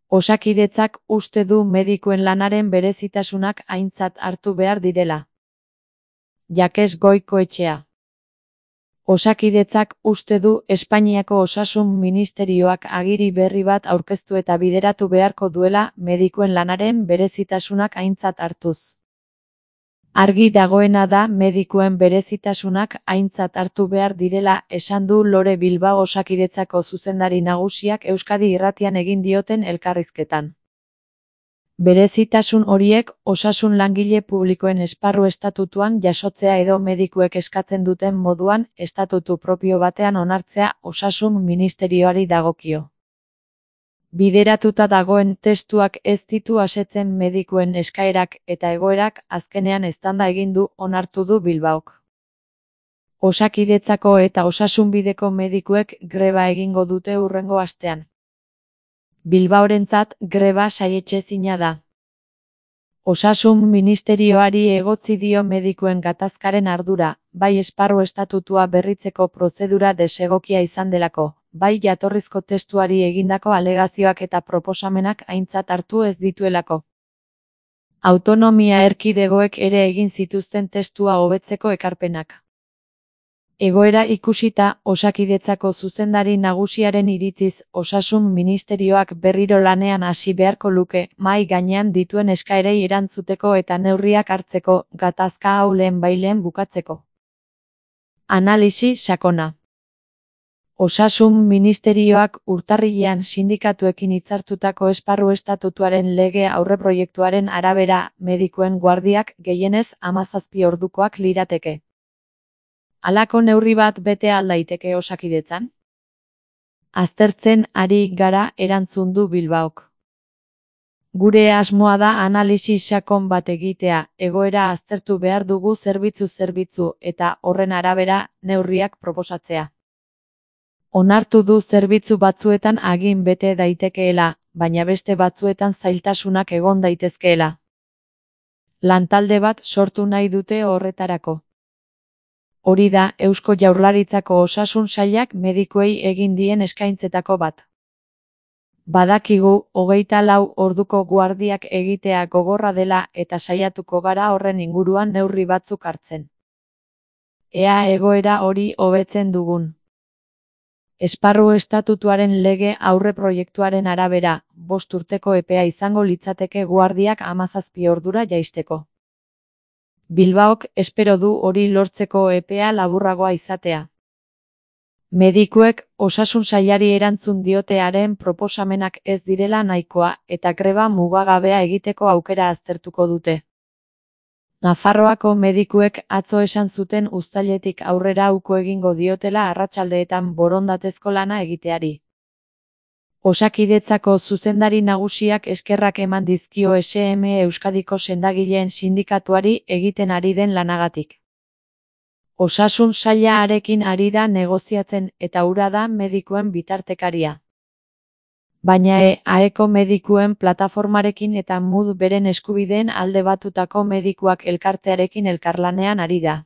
Osakidetzak uste du medikuen lanaren berezitasunak aintzat hartu behar direla. Jakes Goikoetxea. Osakidetzak uste du Espainiako Osasun Ministerioak agiri berri bat aurkeztu eta bideratu beharko duela medikuen lanaren berezitasunak aintzat hartuz. Argi dagoena da medikuen berezitasunak aintzat hartu behar direla esan du Lore Bilbao Osakidetzako zuzendari nagusiak Euskadi Irratian egin dioten elkarrizketan. Berezitasun horiek osasun langile publikoen esparru estatutuan jasotzea edo medikuek eskatzen duten moduan estatutu propio batean onartzea Osasun Ministerioari dagokio. Bideratuta dagoen testuak ez ditu asetzen medikuen eskaerak eta egoerak azkenean eztanda egin du onartu du Bilbaok. Osakidetzako eta osasunbideko medikuek greba egingo dute hurrengo astean. Bilbaorentzat greba saietsezina da. Osasun Ministerioari egotzi dio medikuen gatazkaren ardura, bai esparru estatutua berritzeko prozedura desegokia izan delako, bai jatorrizko testuari egindako alegazioak eta proposamenak aintzat hartu ez dituelako. Autonomia erkidegoek ere egin zituzten testua hobetzeko ekarpenak. Egoera ikusita, Osakidetzako zuzendari nagusiaren iritziz, Osasun Ministerioak berriro lanean hasi beharko luke, mahai gainean dituen eskaerei erantzuteko eta neurriak hartzeko, gatazka hau lehenbailehen bukatzeko. Analisi sakona. Osasun Ministerioak urtarrilean sindikatuekin hitzartutako esparru estatutuaren lege aurreproiektuaren arabera, medikuen guardiak gehienez 17 ordukoak lirateke. Halako neurri bat bete al daiteke Osakidetzan? Aztertzen ari gara erantzun du Bilbaok. Gure asmoa da analisi sakon bat egitea, egoera aztertu behar dugu zerbitzu eta horren arabera neurriak proposatzea. Onartu du zerbitzu batzuetan agin bete daitekeela, baina beste batzuetan zailtasunak egon daitezkeela. Lantalde bat sortu nahi dute horretarako. Hori da Eusko Jaurlaritzako Osasun Sailak medikuei egin dien eskaintzetako bat. Badakigu 24 orduko guardiak egitea gogorra dela eta saiatuko gara horren inguruan neurri batzuk hartzen. Ea egoera hori hobetzen dugun. Esparru estatutuaren lege aurreproiektuaren arabera, 5 urteko epea izango litzateke guardiak 17 ordura jaisteko. Bilbaok espero du hori lortzeko epea laburragoa izatea. Medikuek Osasun Sailari erantzun diotearen proposamenak ez direla nahikoa eta greba mugagabea egiteko aukera aztertuko dute. Nafarroako medikuek atzo esan zuten uztailetik aurrera uko egingo diotela arratsaldeetan borondatezko lana egiteari. Osakidetzako zuzendari nagusiak eskerrak eman dizkio SM Euskadiko sendagileen sindikatuari egiten ari den lanagatik. Osasun Saila harekin ari da negoziatzen eta hura da medikuen bitartekaria. Baina AEko medikuen plataformarekin eta MUD beren eskubideen alde batutako medikuak elkartearekin elkarlanean ari da.